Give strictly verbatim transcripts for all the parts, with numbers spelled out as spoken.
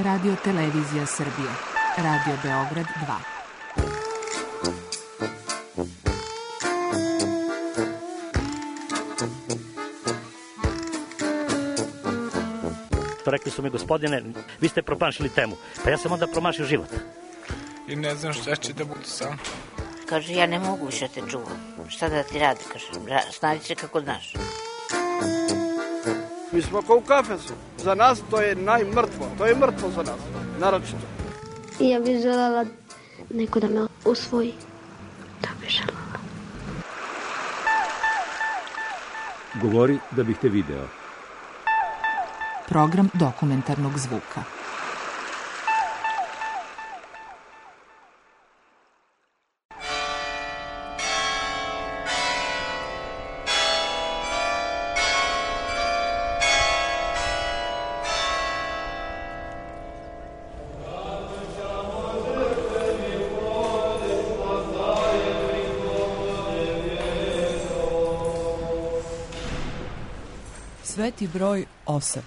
Radio Televizija Srbije. Radio Beograd dva. Rekli su mi, gospodine, vi ste promašili temu. Pa ja sam onda promašio život. I ne znam šta će da bude sam. Kaže, ja ne mogu više te čuvam. Šta da ti radi? Kaže, snađi se kako znaš. Mi smo kao u kafesu. Za nas to je najmrtvo. To je mrtvo za nas. Naročito. I ja bih željela neko da me usvoji. Da bih željela. Govori da bih te video. Program dokumentarnog zvuka. Sveti broj osam.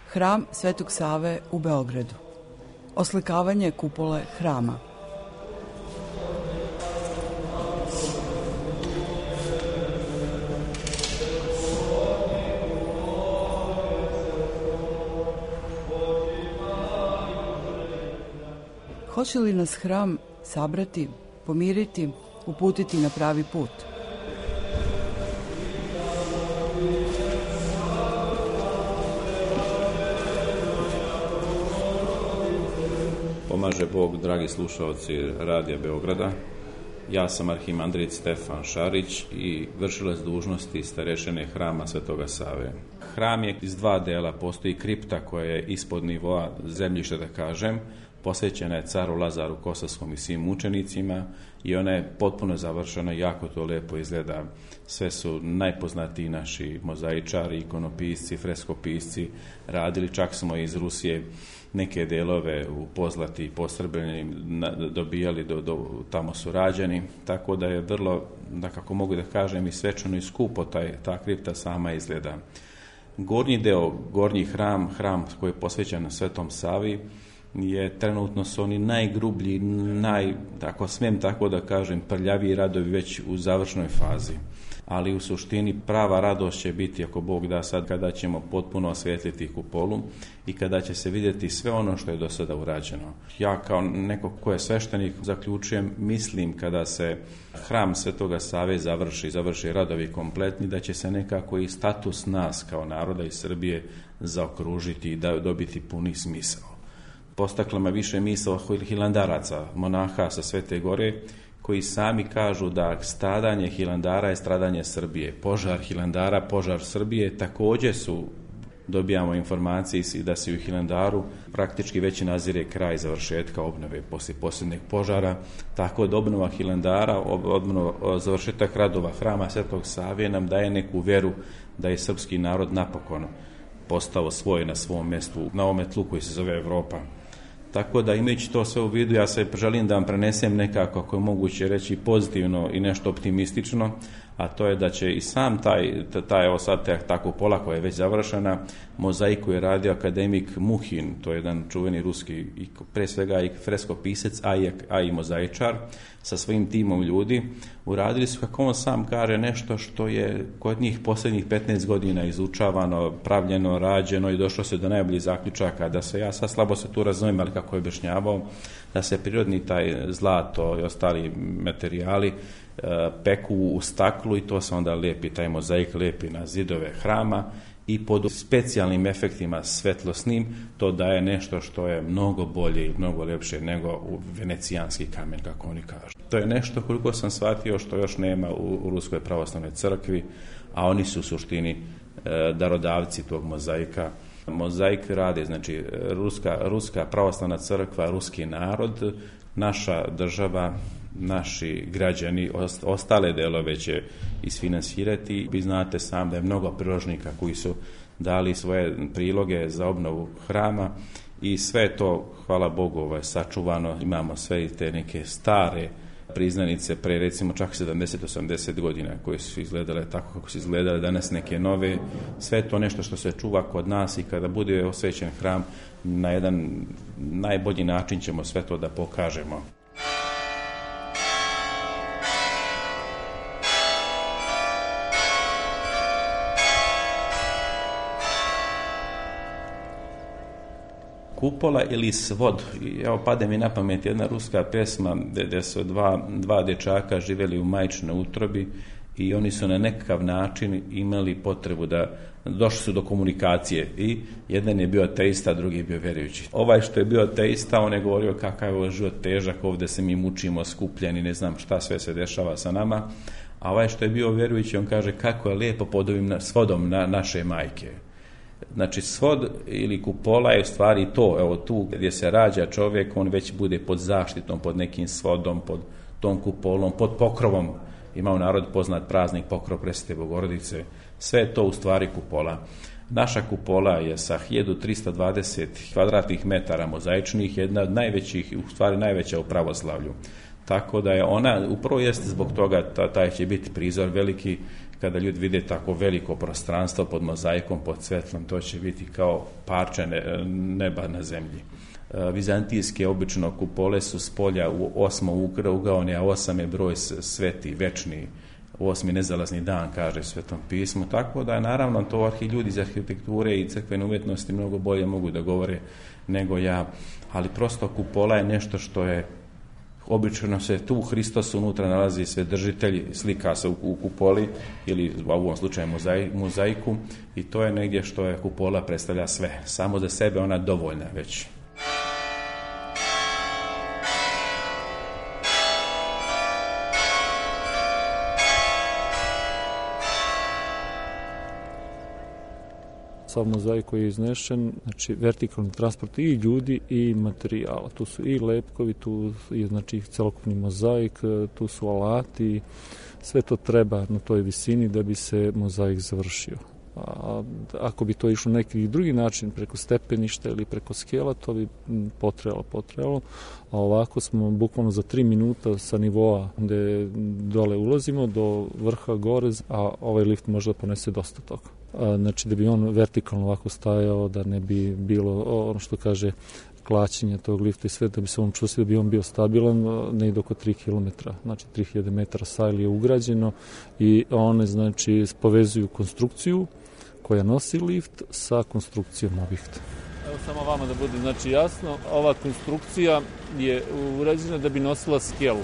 Hram Svetog Save u Beogradu. Oslikavanje kupole hrama. Hoće li nas hram sabrati, pomiriti, uputiti na pravi put? Pomaže Bog, dragi slušalci Radija Beograda. Ja sam arhimandrit Stefan Šarić i vršilac dužnosti starešine Hrama Svetoga Save. Hram je iz dva dela, postoji kripta koja je ispod nivoa zemljišta, da kažem, posvećena je caru Lazaru Kosovskom i svim mučenicima i ona je potpuno završena, jako to lepo izgleda. Sve su najpoznatiji naši mozaičari, ikonopisci, freskopisci radili, čak smo iz Rusije neke delove u pozlati i posrbljeni dobijali, do, do, tamo su rađeni, tako da je vrlo, da kako mogu da kažem, i svečano i skupo taj, ta kripta sama izgleda. Gornji deo, gornji hram, hram koji je posvećen Svetom Savi, je trenutno su oni najgrublji, naj, ako smijem tako da kažem, prljaviji radovi već u završnoj fazi. Ali u suštini prava radost će biti, ako Bog da, sad kada ćemo potpuno osvijetliti kupolu i kada će se vidjeti sve ono što je do sada urađeno. Ja kao neko ko je sveštenik zaključujem, mislim kada se hram Svetoga Save završi, završi radovi kompletni, da će se nekako i status nas kao naroda iz Srbije zaokružiti i da dobiti puni smisao. Postakla me više misao hilandaraca, monaha sa Svete Gore, koji sami kažu da stradanje Hilandara je stradanje Srbije. Požar Hilandara, požar Srbije, također su, dobijamo informacije da se u Hilandaru praktički već nazire kraj završetka obnove poslije posljednjeg požara, tako da obnova Hilandara, obnova, završetak radova Hrama Svetog Save nam daje neku veru da je srpski narod napokon postao svoj na svom mjestu, na ovome tlu koji se zove Evropa. Tako da imajući to sve u vidu, ja se želim da vam prenesem nekako, ako je moguće reći, pozitivno i nešto optimistično, a to je da će i sam taj, taj evo sad ta kupola koja je već završena, mozaiku je radio akademik Muhin, to je jedan čuveni ruski, pre svega i freskopisac, a i, a i mozaičar, sa svojim timom ljudi. Uradili su, kako on sam kaže, nešto što je kod njih posljednjih petnaest godina izučavano, pravljeno, rađeno i došlo se do najboljih zaključaka, da se, ja sad slabo se tu razumijem, ali kako je objašnjavao, da se prirodni taj zlato i ostali materijali peku u staklu i to se onda lepi, taj mozaik lepi na zidove hrama i pod specijalnim efektima svetlosnim to daje nešto što je mnogo bolje i mnogo lepše nego u venecijanski kamen, kako oni kažu. To je nešto, koliko sam shvatio, što još nema u, u Ruskoj pravoslavnoj crkvi, a oni su u suštini e, darodavci tog mozaika. Mozaik rade, znači Ruska, Ruska pravoslavna crkva, ruski narod, naša država, naši građani, ostale delove će isfinansirati. Vi znate sam da je mnogo priložnika koji su dali svoje priloge za obnovu hrama i sve to, hvala Bogu, ovaj, sačuvano. Imamo sve te neke stare priznanice pre recimo čak sedamdeset do osamdeset godina koje su izgledale tako kako su izgledale, danas neke nove. Sve to nešto što se čuva kod nas i kada bude osvećen hram na jedan najbolji način ćemo sve to da pokažemo. Kupola ili svod. Evo, pade mi na pamet jedna ruska pesma gdje su dva, dva dječaka živjeli u majčinoj utrobi i oni su na nekakav način imali potrebu da došli su do komunikacije i jedan je bio ateista, drugi je bio vjerujući. Ovaj što je bio ateista, on je govorio kakav je ovo život težak, ovdje se mi mučimo, skupljeni, ne znam šta sve se dešava sa nama, a ovaj što je bio vjerujući, on kaže kako je lijepo pod ovim svodom na naše majke. Znači svod ili kupola je u stvari to, evo tu gdje se rađa čovjek, on već bude pod zaštitom, pod nekim svodom, pod tom kupolom, pod pokrovom. Ima u narodu poznat praznik Pokrov Presvete Bogorodice. Sve je to u stvari kupola. Naša kupola je sa hiljadu trista dvadeset kvadratnih metara mozaičnih, jedna od najvećih, u stvari najveća u pravoslavlju. Tako da je ona, upravo jest zbog toga, taj će biti prizor veliki. Kada ljudi vide tako veliko prostranstvo pod mozaikom, pod svetlom, to će biti kao parče neba na zemlji. Vizantijske obično kupole su s polja u osmo ugaone, a osam je broj sveti, večni, osmi nezalazni dan, kaže Svetom pismu. Tako da je naravno to arhi ljudi iz arhitekture i crkvene umjetnosti mnogo bolje mogu da govore nego ja, ali prosto kupola je nešto što je obično se tu Hristos unutra nalazi Svedržitelj, slika se u, u kupoli ili u ovom slučaju mozai, mozaiku i to je negdje što je kupola predstavlja sve. Samo za sebe ona dovoljna već. Sav mozaik koji je iznešen, znači vertikalni transport i ljudi i materijala. Tu su i lepkovi, tu je znači celokupni mozaik, tu su alati, sve to treba na toj visini da bi se mozaik završio. A ako bi to išlo neki drugi način, preko stepeništa ili preko skela, to bi potrebalo, potrebalo. A ovako smo bukvalno za tri minuta sa nivoa gde dole ulazimo do vrha gore, a ovaj lift može da ponese dosta toga. A, znači da bi on vertikalno ovako stajao, da ne bi bilo ono što kaže klaćenje tog lifta i sve, da bi se on čustio, da bi on bio stabilan, negdje oko tri kilometra, znači tri hiljade metara sajli je ugrađeno i one znači povezuju konstrukciju koja nosi lift sa konstrukcijom objekta. Evo samo vama da bude znači jasno, ova konstrukcija je urađena da bi nosila skelu.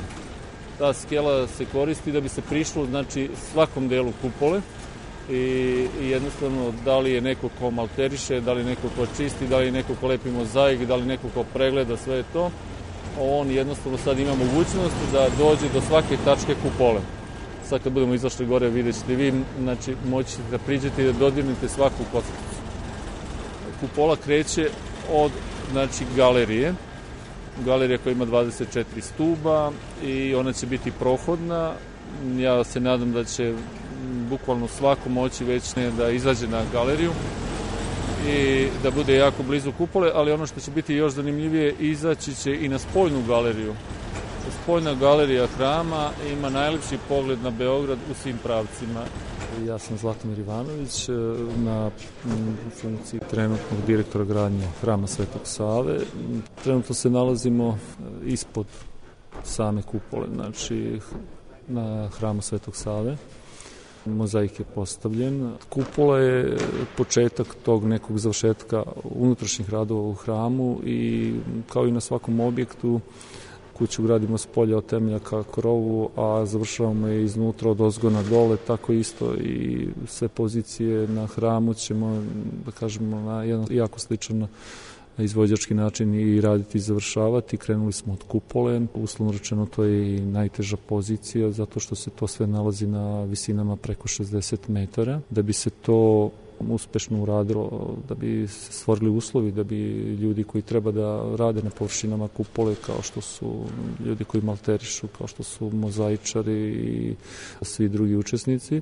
Ta skela se koristi da bi se prišlo znači svakom delu kupole i, i jednostavno da li je neko ko malteriše, da li je neko ko čisti, da li je neko ko lepi mozaik, da li neko ko pregleda sve to, on jednostavno sad ima mogućnost da dođe do svake tačke kupole. Sad kad budemo izašli gore vidjet ćete vi, znači moći da priđete i da dodirnete svaku kockicu. Kupola kreće od znači galerije, galerija koja ima dvadeset četiri stuba i ona će biti prohodna. Ja se nadam da će bukvalno svako moći već ne da izađe na galeriju i da bude jako blizu kupole, ali ono što će biti još zanimljivije, izaći će i na spoljnu galeriju. Spoljna galerija hrama ima najlepši pogled na Beograd u svim pravcima. Ja sam Zlatomir Ivanović, na funkciji trenutnog direktora gradnje hrama Svetog Save. Trenutno se nalazimo ispod same kupole, znači na hramu Svetog Save. Mozaik je postavljen. Kupola je početak tog nekog završetka unutrašnjih radova u hramu i kao i na svakom objektu kuću gradimo s polja od temelja ka krovu, a završavamo je iznutra od ozgona dole, tako isto i sve pozicije na hramu ćemo, da kažemo, na jedan jako sličan izvođački način i raditi i završavati. Krenuli smo od kupole, uslovno rečeno to je i najteža pozicija zato što se to sve nalazi na visinama preko šezdeset metara. Da bi se to uspešno uradilo, da bi se stvorili uslovi, da bi ljudi koji treba da rade na površinama kupole, kao što su ljudi koji malterišu, kao što su mozaičari i svi drugi učesnici,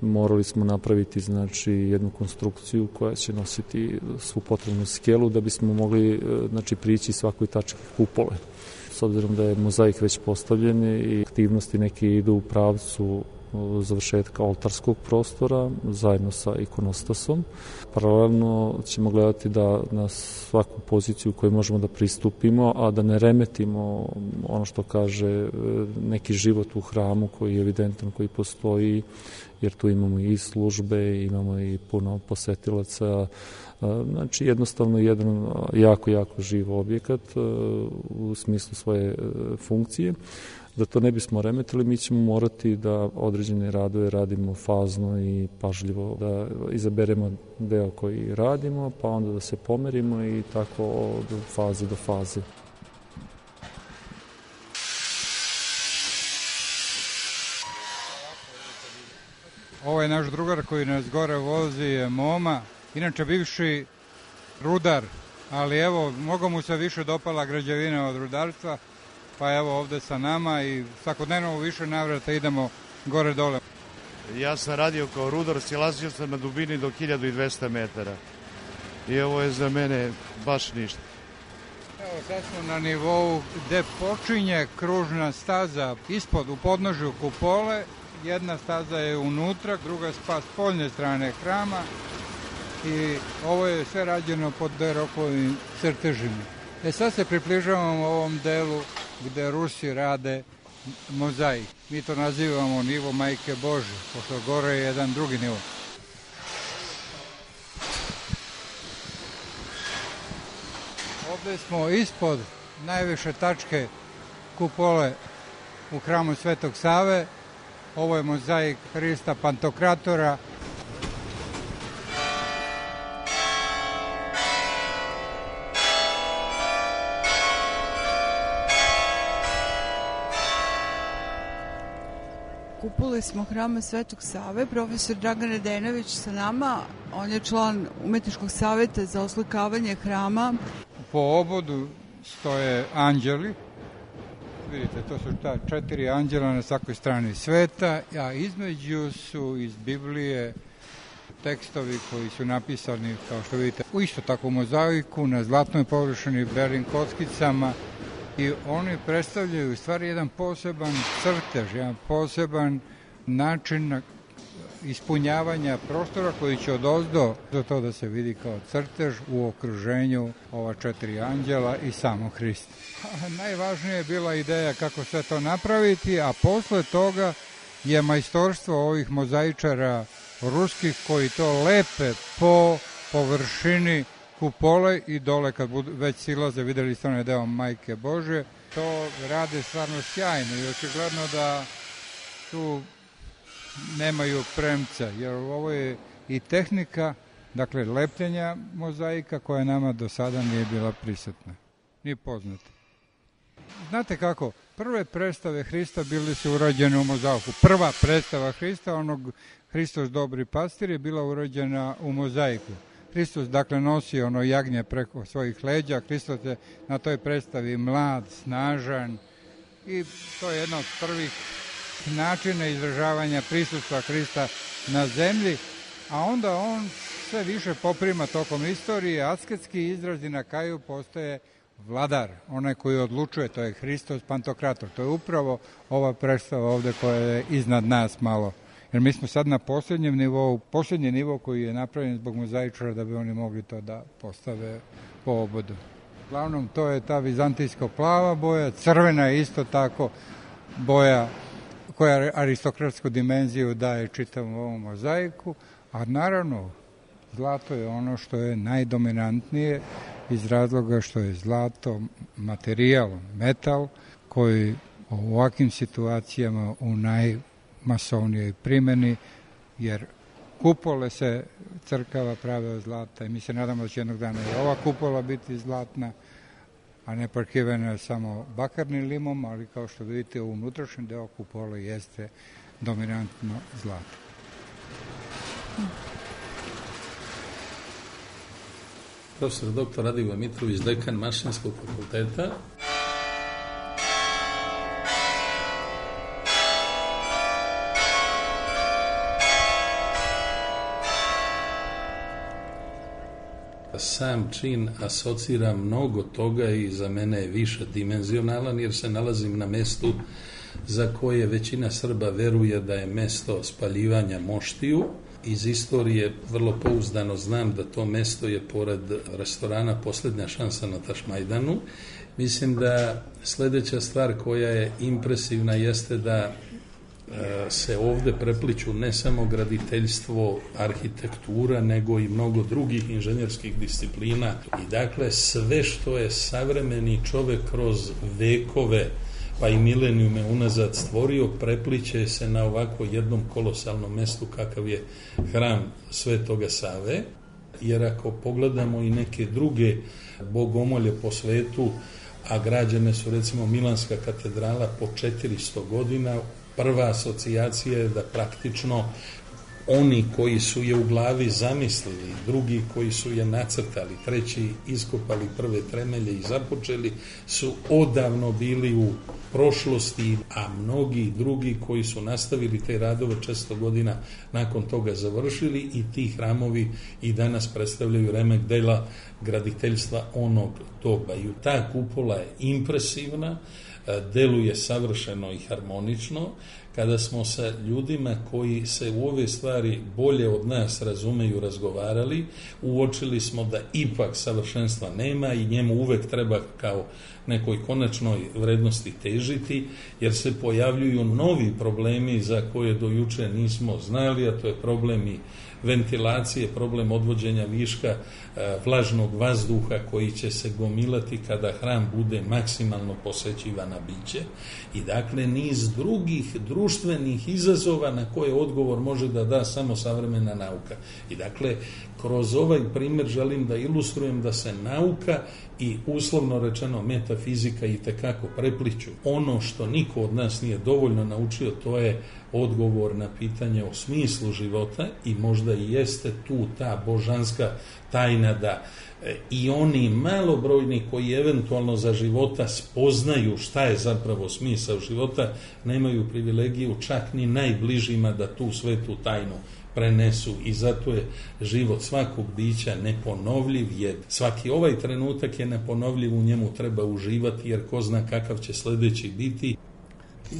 morali smo napraviti znači jednu konstrukciju koja će nositi svu potrebnu skelu da bismo mogli znači prići svakoj tački kupole. s obzirom da je mozaik već postavljen i aktivnosti neke idu u pravcu završetka oltarskog prostora zajedno sa ikonostasom. Paralelno ćemo gledati da na svaku poziciju koju možemo da pristupimo, a da ne remetimo ono što kaže neki život u hramu koji je evidentan, koji postoji, jer tu imamo i službe, imamo i puno posetilaca. Znači jednostavno jedan jako, jako živ objekat u smislu svoje funkcije. Da to ne bismo remetili, mi ćemo morati da određene radove radimo fazno i pažljivo, da izaberemo deo koji radimo, pa onda da se pomerimo i tako od faze do faze. Ovo je naš drugar koji nas gore vozi, je Moma, inače bivši rudar, ali evo, mnogo mu se više dopala građevina od rudarstva, pa evo ovde sa nama i svakodnevno u više navrata idemo gore dole. Ja sam radio kao rudar, silazio sam na dubini do hiljadu dvesta metara i ovo je za mene baš ništa. Evo sad smo na nivou gde počinje kružna staza ispod u podnožju kupole, jedna staza je unutra, druga spa s poljne strane hrama i ovo je sve rađeno pod derokovim crtežima. E sad se približavamo ovom delu gde Rusi rade mozaik. Mi to nazivamo nivo Majke Bože, pošto gore je jedan drugi nivo. Ovde smo ispod najviše tačke kupole u hramu Svetog Save. Ovo je mozaik Hrista Pantokratora. Kupole smo hrama Svetog Save, profesor Dragan Radenović sa nama, on je član Umetničkog saveta za oslikavanje hrama. Po obodu stoje anđeli, vidite, to su ta četiri anđela na svakoj strani sveta, a između su iz Biblije tekstovi koji su napisani, kao što vidite, u isto tako mozaiku, na zlatnoj površini, belim kockicama, i oni predstavljaju u stvari jedan poseban crtež, jedan poseban način ispunjavanja prostora koji će odozdo do to da se vidi kao crtež u okruženju ova četiri anđela i samo Hrista. Najvažnija je bila ideja kako sve to napraviti, a posle toga je majstorstvo ovih mozaičara ruskih koji to lepe po površini kupole i dole kad budu, već silaze, videli ste onaj deo Majke Bože, to rade stvarno sjajno i očigledno da tu nemaju premca, jer ovo je i tehnika, dakle, lepljenja mozaika koja nama do sada nije bila prisutna, nije poznata. Znate kako, prve predstave Hrista bili su urađene u mozaiku. Prva predstava Hrista, onog Hristos dobri pastir, je bila urađena u mozaiku. Hristos, dakle, nosi ono jagnje preko svojih leđa, Hristos je na toj predstavi mlad, snažan i to je jedno od prvih načina izražavanja prisustva Hrista na zemlji, a onda on sve više poprima tokom istorije, asketski izrazi na kraju postaje vladar, onaj koji odlučuje, to je Hristos Pantokrator. To je upravo ova predstava ovde koja je iznad nas malo. Jer mi smo sad na posljednjem nivou, posljednji nivo koji je napravljen zbog mozaičara da bi oni mogli to da postave po obodu. Uglavnom, to je ta vizantijsko plava boja, crvena je isto tako boja koja aristokratsku dimenziju daje čitavom ovom mozaiku, a naravno zlato je ono što je najdominantnije iz razloga što je zlato materijal, metal koji u ovakvim situacijama u najmasovnijoj primjeni, jer kupole se crkava prave od zlata i mi se nadamo da će jednog dana i ova kupola biti zlatna, a ne parkirana samo bakarnim limom, ali kao što vidite u unutrašnjem deo kupole jeste dominantno zlato. Profesor doktor Radivoje Mitrović, dekan Mašinskog fakulteta. sam čin asocira mnogo toga i za mene je više dimenzionalan jer se nalazim na mestu za koje većina Srba veruje da je mesto spaljivanja moštiju. Iz istorije vrlo pouzdano znam da to mesto je pored restorana Posljednja šansa na Tašmajdanu. Mislim da sljedeća stvar koja je impresivna jeste da se ovdje prepliću ne samo graditeljstvo, arhitektura, nego i mnogo drugih inženjerskih disciplina. I dakle, sve što je savremeni čovjek kroz vekove, pa i milenijume unazad stvorio, prepliće se na ovako jednom kolosalnom mestu kakav je hram Svetoga Save. Jer ako pogledamo i neke druge bogomolje po svetu, a građene su recimo Milanska katedrala po četiristo godina, prva asocijacija je da praktično oni koji su je u glavi zamislili, drugi koji su je nacrtali, treći iskopali prve temelje i započeli, su odavno bili u prošlosti, a mnogi drugi koji su nastavili te radove često godina nakon toga završili i ti hramovi i danas predstavljaju remek dela graditeljstva onog doba. I ta kupola je impresivna, deluje savršeno i harmonično. Kada smo sa ljudima koji se u ove stvari bolje od nas razumeju razgovarali, uočili smo da ipak savršenstva nema i njemu uvek treba kao nekoj konačnoj vrednosti težiti, jer se pojavljuju novi problemi za koje do juče nismo znali, a to je problem i ventilacije, problem odvođenja viška vlažnog vazduha koji će se gomilati kada hram bude maksimalno posećivana biće. I dakle niz drugih društvenih izazova na koje odgovor može da da samo savremena nauka. I dakle kroz ovaj primjer želim da ilustrujem da se nauka i uslovno rečeno metafizika itekako prepliću. Ono što niko od nas nije dovoljno naučio, to je odgovor na pitanje o smislu života i možda i jeste tu ta božanska tajna da i oni malobrojni koji eventualno za života spoznaju šta je zapravo smisao života, nemaju privilegiju čak ni najbližima da tu svetu tajnu prenesu i zato je život svakog bića neponovljiv, jer svaki ovaj trenutak je neponovljiv, u njemu treba uživati jer ko zna kakav će sljedeći biti.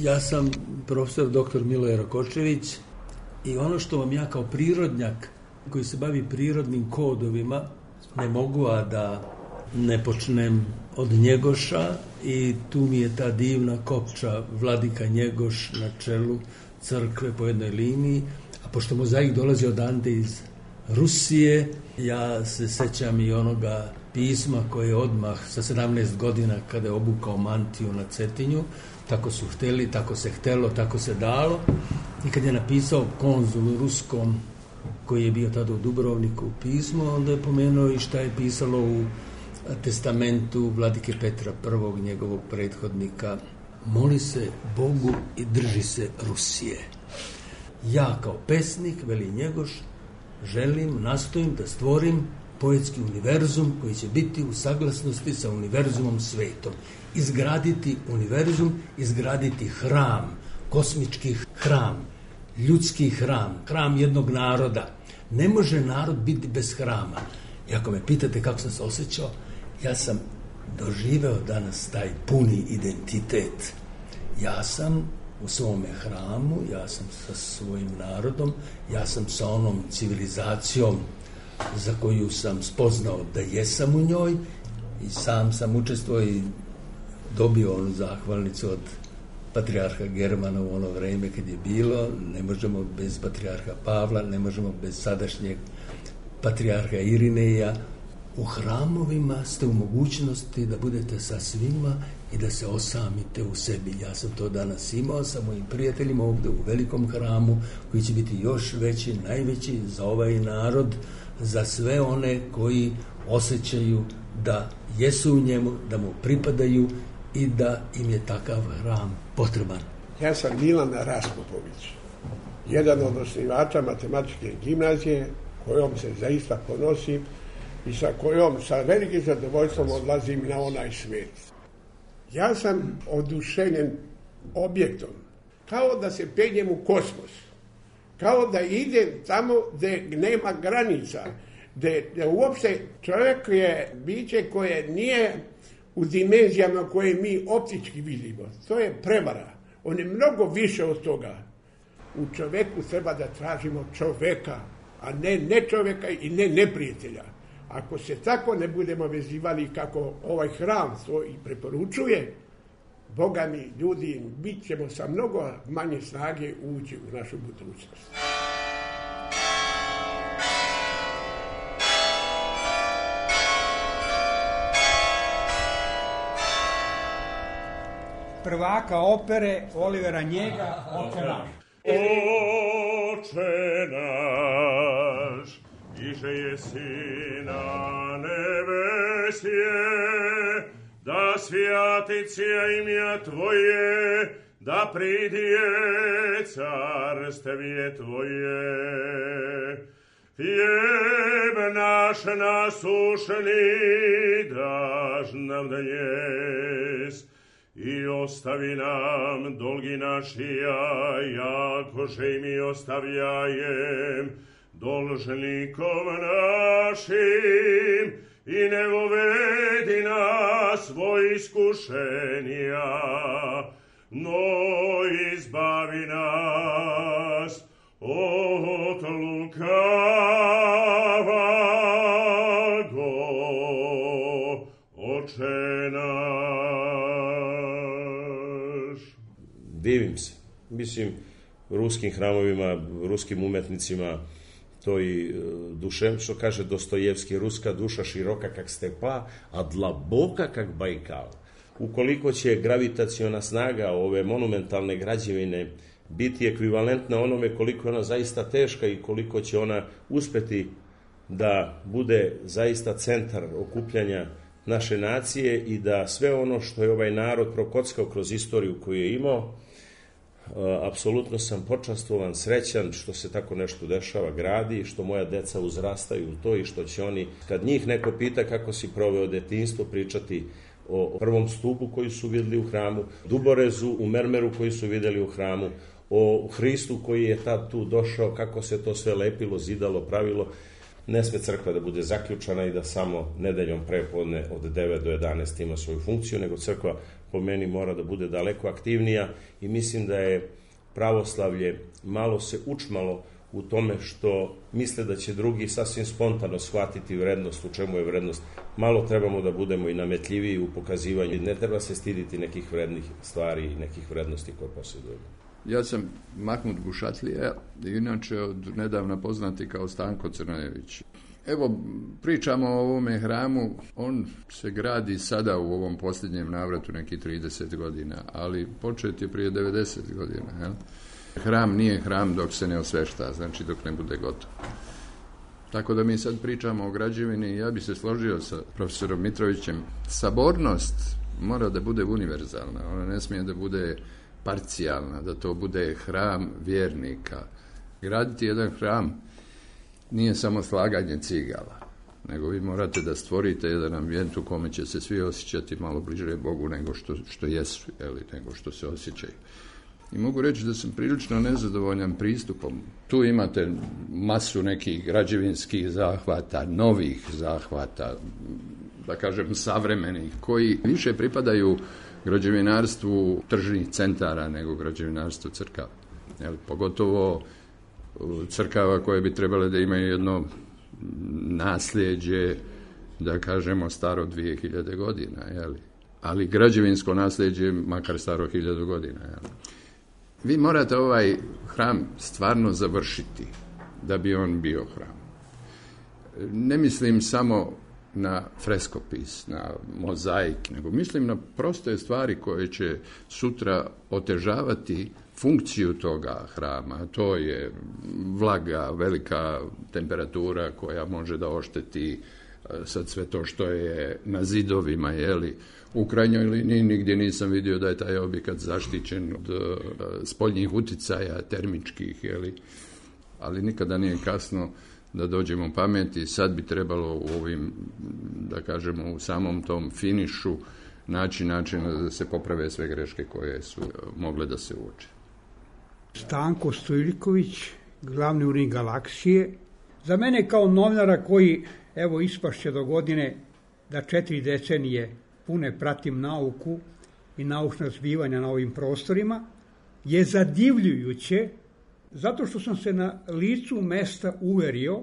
Ja sam profesor doktor Miloje Rakočević i ono što vam ja kao prirodnjak koji se bavi prirodnim kodovima ne mogu a da ne počnem od Njegoša i tu mi je ta divna kopča Vladika Njegoš na čelu crkve po jednoj liniji, a pošto mozaik dolazi odande iz Rusije, ja se sećam i onoga pisma koje je odmah sa sedamnaest godina kada je obukao mantiju na Cetinju, tako su hteli, tako se htelo, tako se dalo, i kad je napisao konzulu ruskom koji je bio tada u Dubrovniku pismo, onda je pomenuo i šta je pisalo u testamentu vladike Petra prvog, njegovog prethodnika: moli se Bogu i drži se Rusije. Ja kao pesnik, veli Njegoš, želim, nastojim da stvorim poetski univerzum koji će biti u saglasnosti sa univerzumom svetom. Izgraditi univerzum, izgraditi hram, kosmički hram, ljudski hram, hram jednog naroda. Ne može narod biti bez hrama. I ako me pitate kako sam se osjećao, ja sam doživeo danas taj puni identitet. Ja sam u svome hramu, ja sam sa svojim narodom, ja sam sa onom civilizacijom za koju sam spoznao da jesam u njoj i sam sam učestvovao i dobio onu zahvalnicu od patrijarha Germana u ono vrijeme kad je bilo. Ne možemo bez patrijarha Pavla, ne možemo bez sadašnjeg patrijarha Irineja. U hramovima ste u mogućnosti da budete sa svima i da se osamite u sebi. Ja sam to danas imao sa mojim prijateljima ovdje u velikom hramu koji će biti još veći, najveći za ovaj narod, za sve one koji osjećaju da jesu u njemu, da mu pripadaju i da im je takav hram potreban. Ja sam Milan Raspupović, jedan od osnivača matematičke gimnazije, kojom se zaista ponosim i sa kojom sa velikim zadovoljstvom odlazim na onaj svijet. Ja sam oduševljen objektom, kao da se penjem u kosmos, kao da idem tamo gdje nema granica, gde, gde uopšte čovjek je biće koje nije u dimenzijama koje mi optički vidimo. To je prevara. On je mnogo više od toga. U čoveku treba da tražimo čoveka, a ne ne čoveka i ne neprijatelja. Ako se tako ne budemo vezivali kako ovaj hram to i preporučuje, Boga mi, ljudi, bit ćemo sa mnogo manje snage ući u našu budućnost. Prvaka opere Olivera Njega, Oče naš. Oče naš, iže jesi na nebesje, da svjaticija imja Tvoje, da pridije carstevje Tvoje. Hljeb naš nasušni daš nam dnjes, i ostavi nam dolgi našija, jakože i mi ostavljajem dolžnikom našim, i ne vovedi nas svoj iskušenja, no izbavi nas od lukavog. Oče naš. Divim se. Mislim, ruskim hramovima, ruskim umetnicima, to i dušem, što kaže Dostojevski, ruska duša široka kak stepa, a dlaboka kak Bajkal. Ukoliko će gravitaciona snaga ove monumentalne građevine biti ekvivalentna onome koliko je ona zaista teška i koliko će ona uspeti da bude zaista centar okupljanja naše nacije i da sve ono što je ovaj narod prokockao kroz istoriju koju je imao, apsolutno sam počastvovan, srećan što se tako nešto dešava, gradi, što moja deca uzrastaju u to i što će oni, kad njih neko pita kako si proveo detinjstvo, pričati o prvom stupu koji su videli u hramu, duborezu u mermeru koji su videli u hramu, o Hristu koji je tad tu došao, kako se to sve lepilo, zidalo, pravilo. Ne sme crkva da bude zaključana i da samo nedeljom prepodne od devet do jedanaest ima svoju funkciju, nego crkva po meni mora da bude daleko aktivnija i mislim da je pravoslavlje malo se učmalo u tome što misle da će drugi sasvim spontano shvatiti vrednost, u čemu je vrednost. Malo trebamo da budemo i nametljiviji u pokazivanju. Ne treba se stiditi nekih vrednih stvari i nekih vrednosti koje posjedujemo. Ja sam Mahmud Gušatlija, inače od nedavna poznati kao Stanko Crnojević. Evo, pričamo o ovome hramu, on se gradi sada u ovom posljednjem navratu neki trideset godina, ali počet je prije devedeset godina. Jel? Hram nije hram dok se ne osvešta, znači dok ne bude gotov. Tako da mi sad pričamo o građevini, ja bi se složio sa profesorom Mitrovićem. Sabornost mora da bude univerzalna, ona ne smije da bude parcijalna, da to bude hram vjernika. Graditi jedan hram nije samo slaganje cigala, nego vi morate da stvorite jedan ambijent u kome će se svi osjećati malo bliže Bogu nego što, što jesu, ili nego što se osjećaju. I mogu reći da sam prilično nezadovoljan pristupom. Tu imate masu nekih građevinskih zahvata, novih zahvata, da kažem savremenih, koji više pripadaju građevinarstvu tržnih centara nego građevinarstvu crkava. Jel, pogotovo crkava koje bi trebale da imaju jedno nasljeđe, da kažemo, staro dvije hiljade godina, jel? Ali građevinsko nasljeđe makar staro hiljadu godina. Jel? Vi morate ovaj hram stvarno završiti da bi on bio hram. Ne mislim samo na freskopis, na mozaik, nego mislim na proste stvari koje će sutra otežavati funkciju toga hrama. To je vlaga, velika temperatura koja može da ošteti sad sve to što je na zidovima, jeli. U krajnjoj liniji nigdje nisam vidio da je taj objekat zaštićen od spoljnih uticaja termičkih, jeli. Ali nikada nije kasno da dođemo pameti. Sad bi trebalo u ovim, da kažemo, u samom tom finišu naći načina da se poprave sve greške koje su mogle da se uoče. Stanko Stojljiković, glavni urednik Galaksije, Za mene kao novinara koji, evo, ispašće do godine da četiri decenije pune pratim nauku i naučna zbivanja na ovim prostorima, je zadivljujuće zato što sam se na licu mesta uverio,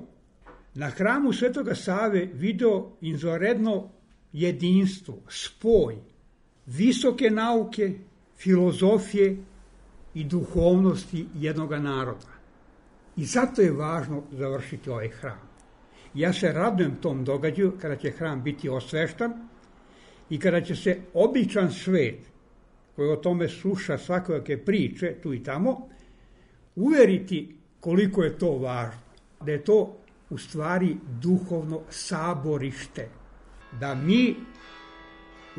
na hramu Svetoga Save video izvanredno jedinstvo, spoj visoke nauke, filozofije i duhovnosti jednoga naroda. I zato je važno završiti ovaj hram. Ja se radujem tom događaju kada će hram biti osveštan i kada će se običan svet, koji o tome sluša svakojake priče tu i tamo, uveriti koliko je to važno. Da je to u stvari duhovno saborište. Da mi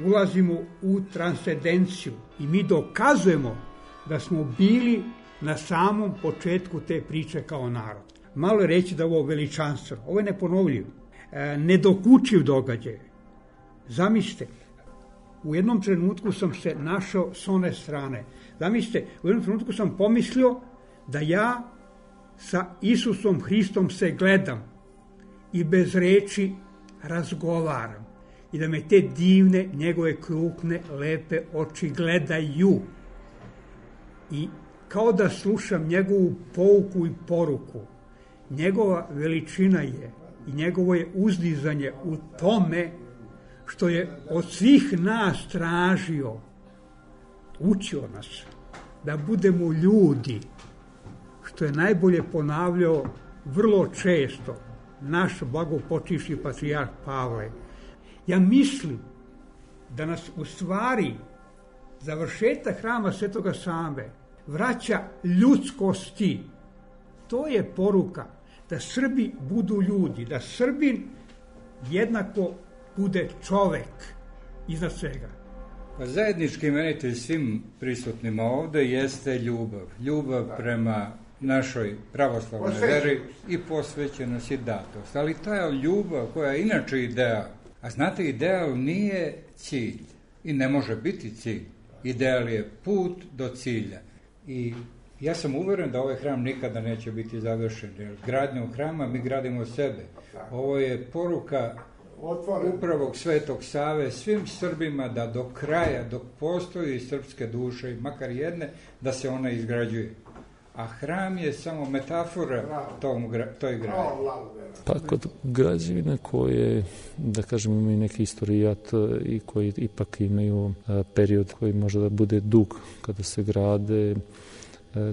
ulazimo u transcendenciju i mi dokazujemo da smo bili na samom početku te priče kao narod. Malo je reći da ovo veličanstveno, ovo je neponovljivo, e, nedokučiv događaj. Zamislite, u jednom trenutku sam se našao s one strane. Zamislite, u jednom trenutku sam pomislio da ja sa Isusom Hristom se gledam i bez reči razgovaram i da me te divne, njegove krupne, lepe oči gledaju. I kao da slušam njegovu pouku i poruku. Njegova veličina je i njegovo je uzdizanje u tome što je od svih nas tražio, učio nas da budemo ljudi, što je najbolje ponavljao vrlo često naš blagopočivši patrijarh Pavle. Ja mislim da nas u stvari završetak hrama Svetoga Save vraća ljudskosti. To je poruka da Srbi budu ljudi, da Srbin jednako bude čovek iznad svega. Pa zajednički imenitelj svim prisutnima ovde jeste ljubav. Ljubav prema našoj pravoslavnoj veri i posvećenost i datost. Ali ta ljubav koja je inače ideal, a znate, ideal nije cilj i ne može biti cilj. Ideal je put do cilja. I ja sam uveren da ovaj hram nikada neće biti završen, jer gradnjom hrama mi gradimo sebe. Ovo je poruka upravo Svetog Save svim Srbima da do kraja, dok postoji srpske duše, makar jedne, da se ona izgrađuje. A hram je samo metafora tom, toj gradnji. Pa kod građevina koje, da kažem, imaju neki istorijat i koji ipak imaju period koji može da bude dug kada se grade,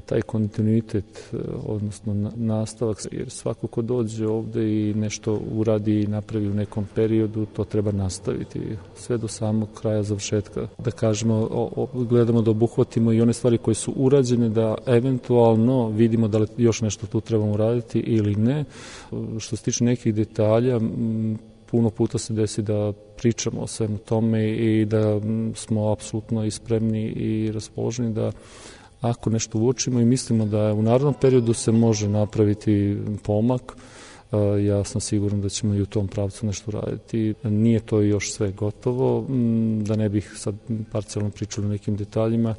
taj kontinuitet, odnosno nastavak, jer svako ko dođe ovde i nešto uradi i napravi u nekom periodu, to treba nastaviti sve do samog kraja završetka. Da kažemo, o, o, gledamo da obuhvatimo i one stvari koje su urađene, da eventualno vidimo da li još nešto tu trebamo uraditi ili ne. Što se tiče nekih detalja, puno puta se desi da pričamo o svemu tome i da smo apsolutno i spremni i raspoloženi da ako nešto uočimo i mislimo da u narednom periodu se može napraviti pomak, ja sam siguran da ćemo i u tom pravcu nešto raditi. Nije to još sve gotovo, da ne bih sad parcijalno pričali o nekim detaljima,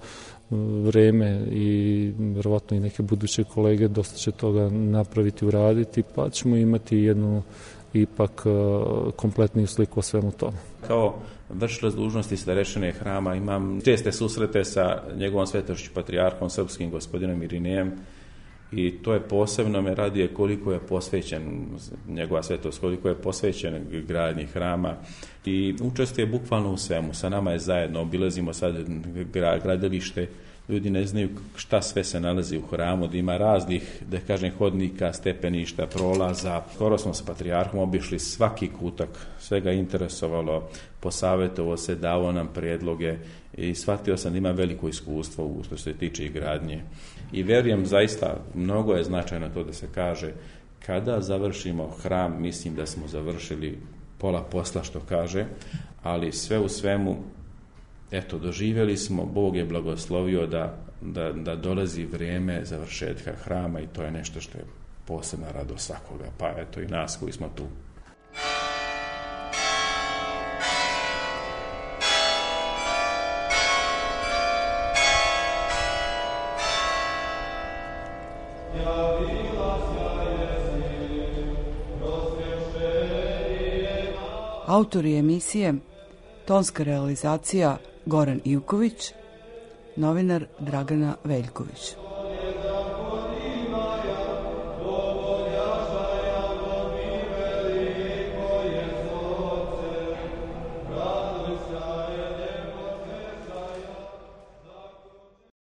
vreme i verovatno i neke buduće kolege dosta će toga napraviti, uraditi, pa ćemo imati jednu ipak kompletniju sliku o svemu tome. Kao vršilac dužnosti starešine hrama imam česte susrete sa njegovom svetošću patrijarhom srpskim gospodinom Irinejem i to je posebno me radije koliko je posvećen njegova svetost, koliko je posvećen gradnji hrama i učestvuje bukvalno u svemu. Sa nama je zajedno, obilazimo sad gradilište, ljudi ne znaju šta sve se nalazi u hramu, da ima raznih, da kažem, hodnika, stepeništa, prolaza. Skoro smo sa patrijarhom obišli svaki kutak, sve ga interesovalo, posavjetovo se, davo nam predloge i shvatio sam da ima veliko iskustvo u što se tiče i gradnje. I verujem zaista, mnogo je značajno to da se kaže, kada završimo hram, mislim da smo završili pola posla što kaže, ali sve u svemu, eto, doživjeli smo, Bog je blagoslovio da, da, da dolazi vrijeme završetka hrama i to je nešto što je posebna radost svakoga, pa eto i nas koji smo tu. Autori emisije, tonska realizacija Goran Ivković, novinar Dragana Veljković.